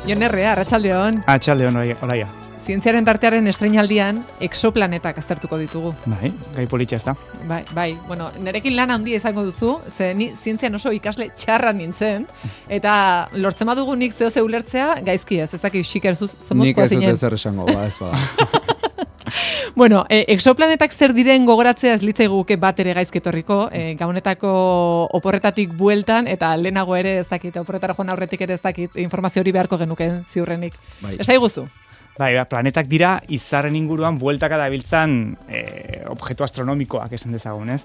Jon Errea, arratsaldeon. Arratsaldeon, oraia. Zientziaren tartearen estreinaldian exoplanetak aztertuko ditugu. Bai, gai politxa ez da. Bai. Bueno, nerekin lan handia izango duzu, ze ni zientzian oso ikasle txarra nintzen, eta lortzen badugu nik zeo ulertzea, gaizki ez dakit xikerzuz zemozkoa zinen. Nik ez dut ezer esango, ez bada. Bueno, exoplanetak zer diren gogoratzea ez litzaiguke bat ere gaizketorriko, gabonetako oporretatik bueltan, eta lehenago ere ez dakit, oporretara joan aurretik ere ez dakit, informazio hori beharko genuken ziurrenik. Bai. Esai guzu? Bai, planetak dira izarren inguruan bueltaka dabiltzan objektu astronomikoak esan dezagun, ez?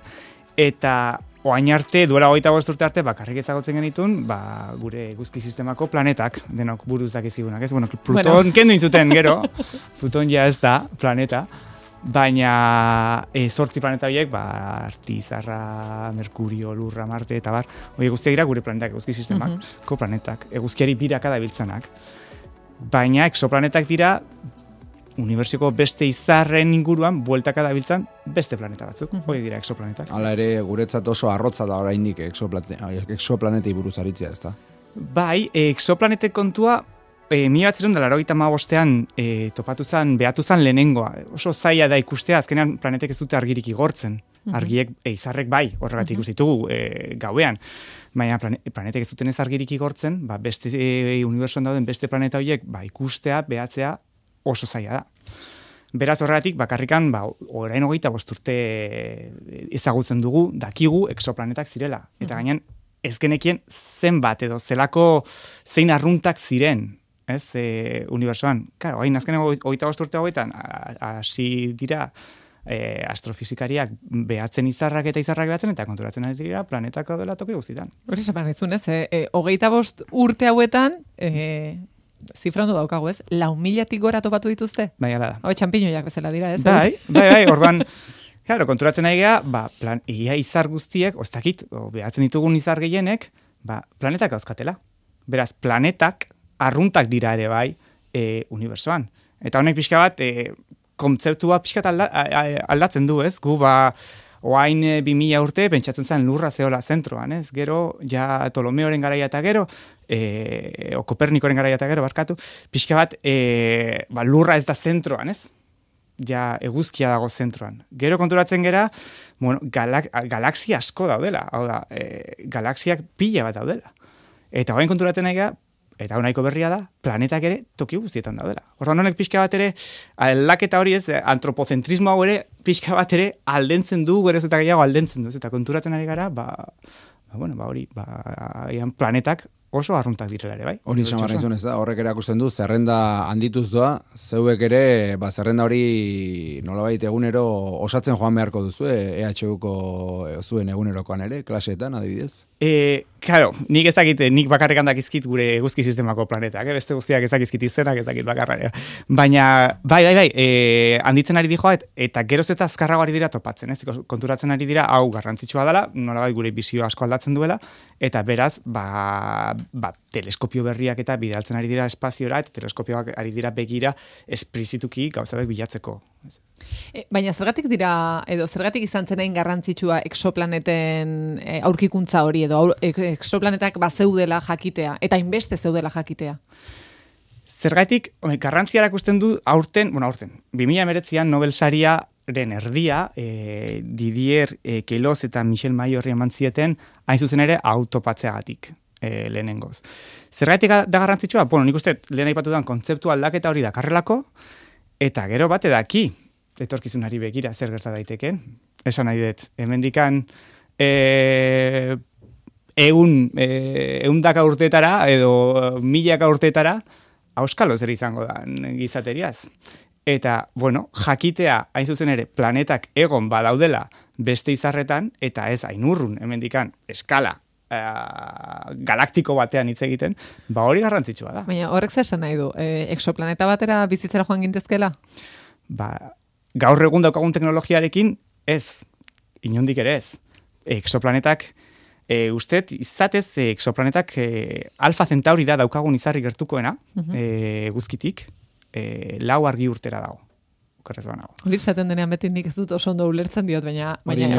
Eta oain arte, duela 25 urte arte, bakarrik ezagutzen genitun, gure eguzki sistemako planetak, denok buruz dakizkigunak, ez? Bueno, Pluton kendu intzuten, gero, Pluton ja ez da planeta, baina 8 planeta horiek, Arti, Zarra, Merkurio, Lurra, Marte, eta bar, hori guztiak dira gure planetak, eguzki sistemako planetak, eguzkiari biraka dabiltzanak. Baina exoplanetak dira unibertsiko beste izarren inguruan bueltaka dabiltzan beste planeta batzuk. Hori dira exoplanetak. Hala ere, guretzat oso arrotza da oraindik exoplanetei buruz aritzea, ez da? Bai, exoplanetek kontua 1985ean topatu zen, behatu zen lehenengoa. Oso zaila da ikustea, azkenean planetek ez dute argirik igortzen. Argiek, izarrek bai, horregatik ikusitugu gauean. Baina planetek ez duten ez argirik igortzen, beste unibertsuan dauden beste planeta horiek ikustea, behatzea oso zaila da. Beraz horregatik, bakarrikan, orain 25 urte ezagutzen dugu, dakigu exoplanetak zirela. Eta gainean, ez genekien zenbat edo zein arruntak ziren, ez, unibertsuan. Claro, hain azkeneko 25 urte hauetan, hasi dira, astrofizikariak behatzen izarrak behatzen, eta konturatzen ari dira planetak daudela toki guztietan. Hori esan izun, ez? 25 urte hauetan, zifra ondo daukagu, ez? 4.000-tik gora topatu dituzte? Bai, ala da. Hoi, txampiñoiak bezala dira, ez? Bai, orduan, claro, konturatzen ari gara, ia izar guztiek, oztakit, behatzen ditugun izar gehienek, planetak dauzkatela. Beraz, planetak, arruntak dira ere bai, unibertsoan. Eta honek pixka bat, kontzeptua pixkat aldatzen du, ez? Gu, oain 2000 urte, pentsatzen zen lurra zeola zentroan, ez? Gero, ja Ptolomeoren garaia eta gero, Kopernikoren garaia eta gero, barkatu, pixka bat, lurra ez da zentroan, ez? Ja, eguzkia dago zentroan. Gero konturatzen gera, bueno, galaxia asko daudela, hau da, galaxiak pila bat daudela. Eta oain konturatzen nahi gara, eta honaiko berria da, planetak ere toki guztietan daudela. Orduan honek pixka bat ere, aldaketa hori ez, antropozentrismo hau ere, pixka bat ere aldentzen du, geroz eta gehiago aldentzen du. Eta konturatzen ari gara, planetak oso arruntak direla ere, bai? Hori samarra izun ez da, horrek erakusten du, zerrenda handituz doa, zeuek ere, zerrenda hori nolabait egunero osatzen joan beharko duzu, EHUko zuen egunerokoan ere, klaseetan adibidez? Claro, nik ezakit, nik bakarrik handakizkit gure eguzki sistemako planetak, beste guztiak ezakizkit izenak, ezakit bakarra. Baina, bai, handitzen ari dijoa, eta geroz eta azkarrago ari dira topatzen, ez? Konturatzen ari dira, hau garrantzitsua dela, nolabait gure bizio asko aldatzen duela, eta beraz, teleskopio berriak eta bidaltzen ari dira espaziora, eta teleskopioak ari dira begira esplizituki gauzabek bilatzeko. Baina zergatik dira, edo zergatik izan zenain garrantzitsua exoplaneten aurkikuntza hori, edo exoplanetak bazeudela jakitea, eta inbeste zeudela jakitea? Zergatik, garrantzia erakusten du aurten, 2019an Nobel Sariaren erdia, Didier Queloz eta Michel Mayor eman zieten, hain zuzen ere autopatzeagatik. Lehenengoz. Zergatik da garrantzitsua? Bueno, nik uste lehen aipatu den kontzeptu aldaketa hori dakarrelako, eta gero bate daki, etorkizunari begira zer gerta daiteken. Esan nahi dut, hemendikan eundaka urteetara, edo milaka urteetara, auskalo zer izango da gizateriaz. Eta, bueno, jakitea, hain zuzen ere, planetak egon badaudela beste izarretan, eta ez hain urrun, hemendikan, eskala, galaktiko batean hitz egiten, hori garrantzitsua da. Baina horrek zer esan nahi du, exoplaneta batera bizitzera joan gintezkela? Gaur egun daukagun teknologiarekin ez, inondik ere ez. Exoplanetak, usted izatez exoplanetak Alfa Centauri da daukagun izarri gertukoena, eguzkitik, 4 argi urtera dago. Okerrez banago. Hori esaten denean beti nik ez dut oso ondo ulertzen diot, baina hori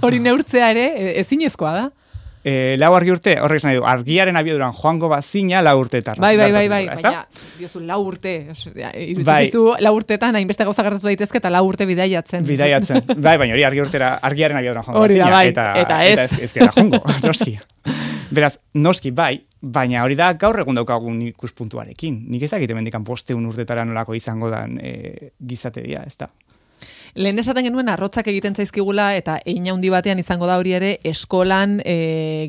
hori neurtzea ere ezinezkoa da. lau argi urte, horrek esan nahi du, argiaren abiaduran joango bazina 4 urteetan. Bai, baina, diozu 4 urte, irudizu 4 urtetan hainbeste gauza gertatu daitezke eta 4 urte bidaiatzen. Bai, baina hori argiaren abiaduran joango bazina. Bai, eta ez. Ez gara joango, noski. Beraz, noski bai, baina hori da gaur egun daukagun ikuspuntuarekin. Nik ezakite mendikan 500 urtetara nolako izango dan gizatedia, ez da. Lehen esaten genuen arrotzak egiten zaizkigula eta hein handi batean izango da hori ere eskolan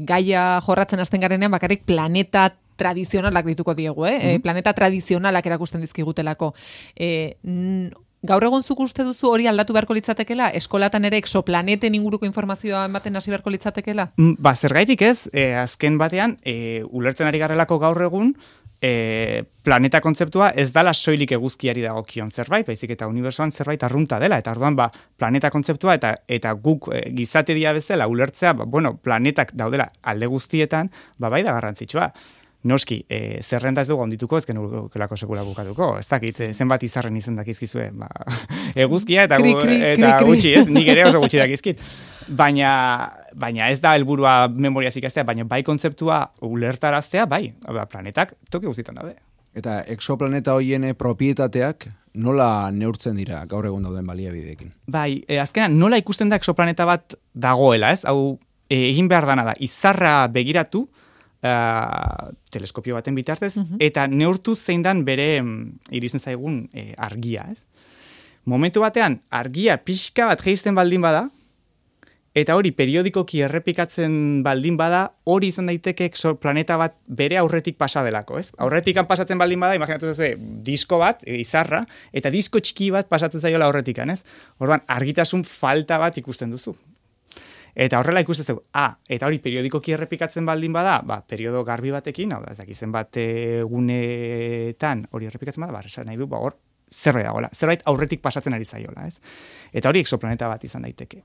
gaia jorratzen hasten garenean bakarrik planeta tradizionalak dituko diegu, planeta tradizionalak erakusten dizkigutelako. Gaur egun zuk uste duzu hori aldatu beharko litzatekela? Eskolatan ere exoplaneten inguruko informazioa ematen hasi beharko litzatekela? Zergaitik ez, azken batean, ulertzen ari garelako gaur egun, planeta kontzeptua ez dala soilik eguzkiari dagokion zerbait, baizik eta unibertsoan zerbait arrunta dela, eta orduan planeta kontzeptua eta guk gizateria bezala ulertzea, planetak daudela alde guztietan, bai da garrantzitsua. Noski, zerrenda ez dugu ondituko, ez genukelako sekula bukatuko. Ez dakit, zenbat izarren izen dakizkizue. Eguzkia eta gutxi, ez? Nik ere oso gutxi dakizkit. Baina ez da helburua memoriaz ikastea, baina bai kontzeptua ulertaraztea, bai, planetak toki guztietan daude. Eta exoplaneta hoien propietateak nola neurtzen dira gaur egun dauden baliabideekin? Bai, azkenan nola ikusten da exoplaneta bat dagoela, ez? Hau, egin behar dana da, izarra begiratu, teleskopio baten bitartez, eta neurtu zein dan bere iristen zaigun argia, ez? Momentu batean, argia pixka bat geisten baldin bada, eta hori periodikoki errepikatzen baldin bada, hori izan daiteke exoplaneta bat bere aurretik pasa delako, ez? Aurretikan pasatzen baldin bada, imaginatu zuzue, disko bat, izarra, eta disko txiki bat pasatzen zaiola aurretikan, ez? Orduan, argitasun falta bat ikusten duzu. Eta horrela ikusten zeu, eta hori periodikoki errepikatzen baldin bada, periodo garbi batekin, hau da, ez dakizen bat egunetan hori errepikatzen bada, esan nahi du, hor, zerbait dagoela, zerbait aurretik pasatzen ari zaiola, ez? Eta hori exoplaneta bat izan daiteke.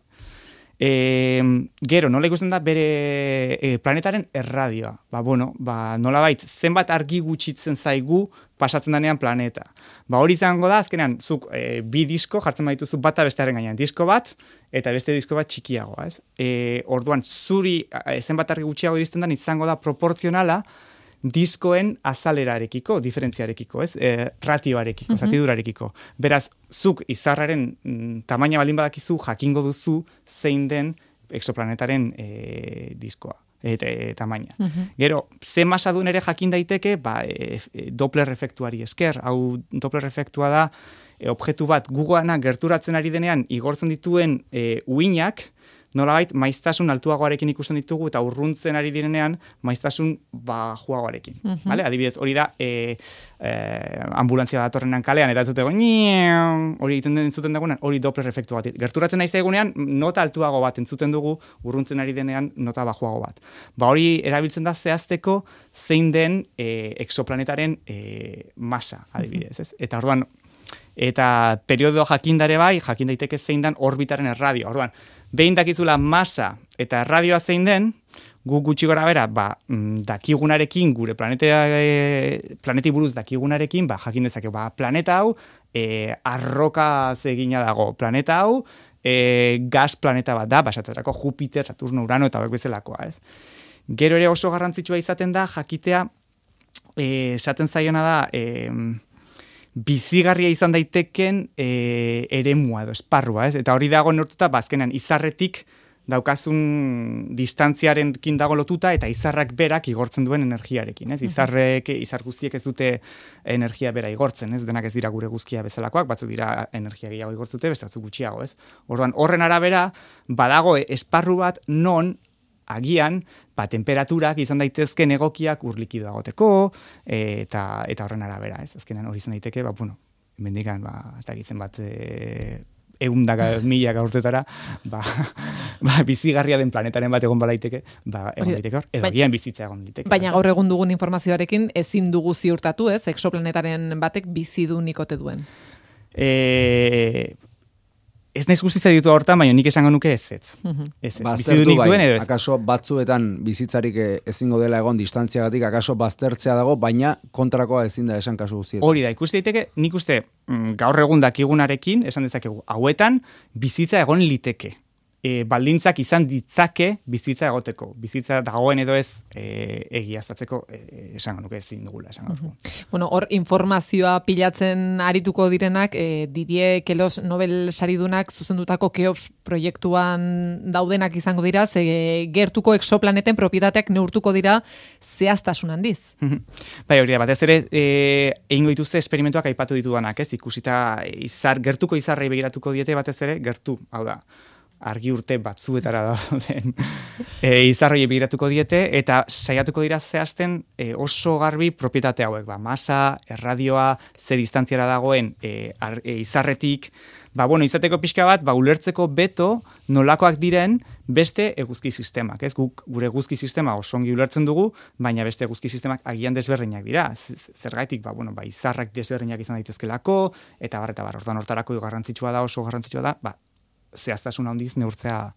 Gero, nola ikusten da bere planetaren erradioa. Nolabait, zenbat argi gutxitzen zaigu pasatzen danean planeta. Hori izango da, azkenean, zuk bi disko jartzen baituzu bata bestearen gainean. Disko bat, eta beste disko bat txikiagoa, ez? Orduan, zuri zenbat argi gutxiago iristen dan izango da proportzionala diskoen azalerarekiko, diferentziarekiko, ez? Ratioarekiko, zatidurarekiko. Beraz, zuk izarraren tamaina baldin badakizu, jakingo duzu zein den exoplanetaren diskoa. Tamaina. Gero, ze masadun ere jakin daiteke, Doppler efektuari esker. Hau Doppler efektua da, objektu bat gugoana gerturatzen ari denean igortzen dituen uinak, nolabait, maiztasun altuagoarekin ikusten ditugu eta urruntzen ari direnean maiztasun bajuagoarekin. Vale? Adibidez, hori da ambulantzia datorrenan kalean, eta entzutego, hori egiten den entzuten dagoenan, hori Doppler efektu bat. Gerturatzen nahi zaigunean, nota altuago bat entzuten dugu, urruntzen ari denean nota bajuago bat. Hori erabiltzen da zehazteko zein den exoplanetaren masa, adibidez. Ez? Eta orduan, eta periodo jakindare bai, jakin daiteke zein den orbitaren erradio. Orduan, behin dakizula masa eta erradioa zein den, gu gutxi gora bera, dakigunarekin, gure planeti buruz dakigunarekin, jakin dezake, planeta hau, arroka zegina dago, planeta hau, gas planeta bat da, esaterako Jupiter, Saturno, Urano eta hauek bezalakoa, ez? Gero ere oso garrantzitsua izaten da, jakitea, esaten zaiona da, bizigarria izan daiteken eremua edo esparrua, ez? Eta hori dago neurtuta, azkenean izarretik daukazun distantziarekin dago lotuta eta izarrak berak igortzen duen energiarekin, ez? Izar guztiek ez dute energia bera igortzen, ez? Denak ez dira gure guzkia bezalakoak, batzuk dira energia gehiago igortzute, beste batzuk gutxiago, ez? Orduan, horren arabera, badago esparru bat non agian, temperaturak izan daitezken egokiak urlikido agoteko, eta horren arabera, ez? Azkenan hori izan daiteke, mendikan, ez dakitzen bat, eundaka, milaka urtetara, bizigarria den planetaren bat egon balaiteke, egon daiteke hor, edo agian bizitza egon daiteke. Baina gaur egun dugun informazioarekin ezin dugu ziurtatu, ez? Exoplanetaren batek bizi du nikote duen. Ez naiz guztitza ditu hortan, baina nik esango nuke ez. Baztertu bai, akaso batzuetan bizitzarik ezingo dela egon distantziagatik, akaso baztertzea dago, baina kontrakoa ezin da esan kasu guztietan. Hori da, ikusi daiteke, nik uste gaur egun dakigunarekin, esan dezakegu, hauetan bizitza egon liteke. baldintzak izan ditzake bizitza egoteko. Bizitza dagoen edo ez egiaztatzeko esango nuke ezin dugula esango dugu. Bueno, hor informazioa pilatzen arituko direnak, Didier Queloz Nobel saridunak zuzendutako Keops proiektuan daudenak izango dira, ze gertuko exoplaneten propietateak neurtuko dira zehaztasun handiz. Bai, hori da, batez ere egingo dituzte esperimentuak aipatu ditudanak, ez? Ikusita gertuko izarrei begiratuko diete batez ere, gertu, hau da, argi urte batzuetara dauden izarroi begiratuko diete, eta saiatuko dira zehazten oso garbi propietate hauek, masa, erradioa, ze distantziara dagoen izarretik, izateko pixka bat, ulertzeko beto nolakoak diren beste eguzki sistemak, ez? Guk gure eguzki sistema oso ongi ulertzen dugu, baina beste eguzki sistemak agian desberdinak dira. Zergaitik, izarrak desberdinak izan daitezkelako, eta orduan hortarako garrantzitsua da, oso garrantzitsua da, zehaztasun handiz neurtzea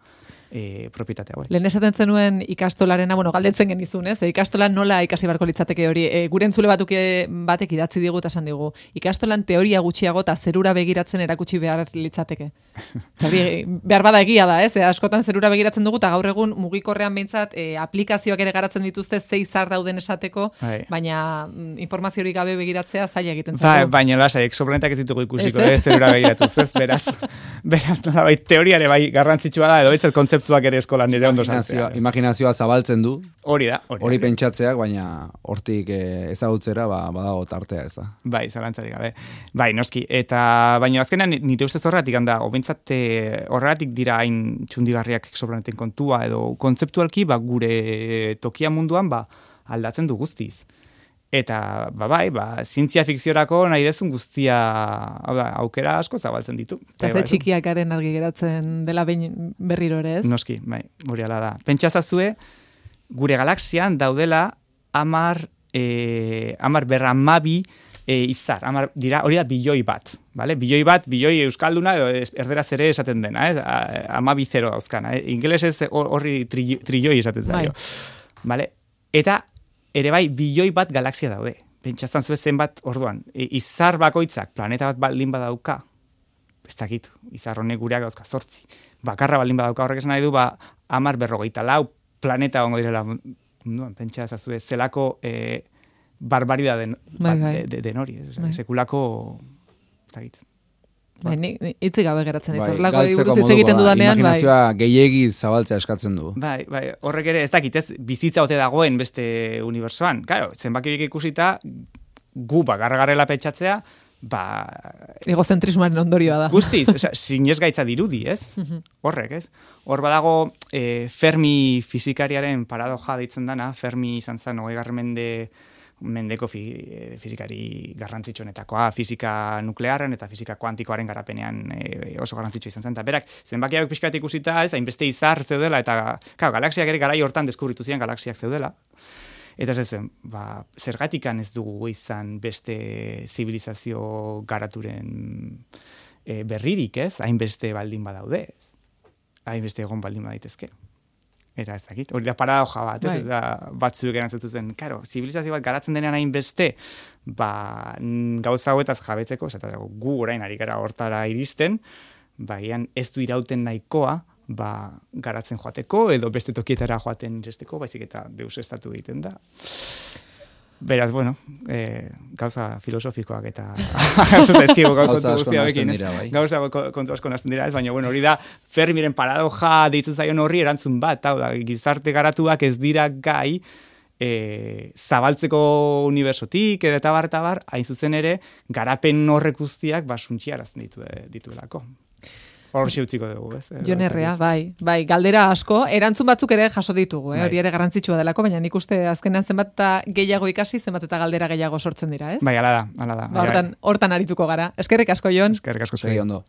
propietate hauek. Lehen esaten zenuen ikastolarena, galdetzen genizun, ez? Ikastolan nola ikasi barko litzateke hori? Gure entzule batek idatzi digu eta esan digu. Ikastolan teoria gutxiago eta zerura begiratzen erakutsi behar litzateke. Behar bada egia da, ez? Askotan zerura begiratzen dugu eta gaur egun mugikorrean behintzat aplikazioak ere garatzen dituzte ze izar dauden esateko, baina informaziorik gabe begiratzea zaila egiten zaigu. Baina lasai, exoplanetak ez ditugu ikusiko, zerura begiratuz, ez? Beraz, teoriare bai garrantzitsua da, edo betzat kontzeptuak ere eskolan nire ondo sartzea. Imaginazioa zabaltzen du. Hori da. Hori pentsatzeak, baina hortik ezagutzera badago tartea ez da. Bai, zalantzarik gabe. Bai, noski. Eta baina azkenan nire ustez horretik handa, horretik dira hain txundigarriak exoplaneten kontua, edo kontzeptualki gure tokia munduan aldatzen du guztiz. Eta, zientzia fikziorako nahi dezun guztia, aukera asko zabaltzen ditu. Eta ze txikiakaren argi geratzen dela berriro ere, ez? Noski, hori ala da. Pentsazazue, gure galaxian daudela 10 izar, hori da bilioi bat. Bilioi euskalduna, erderaz ere esaten dena, 10 dauzkana. Ingelesez horri trilloi esaten zaio. Eta ere bai, bilioi bat galaxia daude. Pentsazan zuen zenbat, orduan, izar bakoitzak planeta bat baldin badauka, ez dakit, izar honek gureak dauzka 8. Bakarra baldin badauka horrek esan nahi du, 10 planeta ongo direla, pentsazan zuen, zelako barbarida den hori, sekulako, ez dakit. Itzi gabe geratzen dizu. Lako buruz hitz egiten dudanean, imaginazioa gehiegi zabaltzea eskatzen du. Bai, horrek ere ez dakit, ez bizitza ote dagoen beste unibertsoan. Claro, zenbaki horiek ikusita gu garrela pentsatzea, egozentrismoaren ondorioa da. Guztiz, sinesgaitza dirudi, ez? Horrek, ez? Hor badago Fermi fizikariaren paradoja deitzen dana, Fermi izan zen 20. Mendeko fizikari garrantzitsuenetakoa, fizika nuklearren eta fizika kuantikoaren garapenean oso garrantzitsua izan zen. Eta berak, zenbakiak pixka bat ikusita, hainbeste izar zeudela, eta galaxiak ere garai hortan deskubritu ziren galaxiak zeudela. Eta ez zen, zergatikan ez dugu izan beste zibilizazio garaturen berririk, ez? Hainbeste baldin badaude, hainbeste egon baldin badaitezke. Eta ez dakit, hori da paradoja bat, ez? Batzuek erantzutu zen, zibilizazio bat garatzen denean hainbeste, gauza hauetaz jabetzeko, eta gu orain ari gara hortara iristen, ez du irauten nahikoa, garatzen joateko, edo beste tokietara joaten iresteko, baizik eta deusestatu egiten da. Beraz, gauza filosofikoak eta gauza kontu asko nazten dira, ez, baina hori da Fermiren paradoja deitzen zaion horri erantzun bat, gizarte garatuak ez dira gai zabaltzeko unibersotik eta bar, hain zuzen ere, garapen horrek guztiak suntxiarazten dituelako. Hor utziko dugu, ez? Jon Herrea, bai, galdera asko, erantzun batzuk ere jaso ditugu, hori ere garrantzitsua delako, baina nik uste azkenean zenbat eta gehiago ikasi, zenbat eta galdera gehiago sortzen dira, ez? Bai, ala da. Hortan arituko gara. Eskerrik asko, Jon. Eskerrik asko, segi ondo.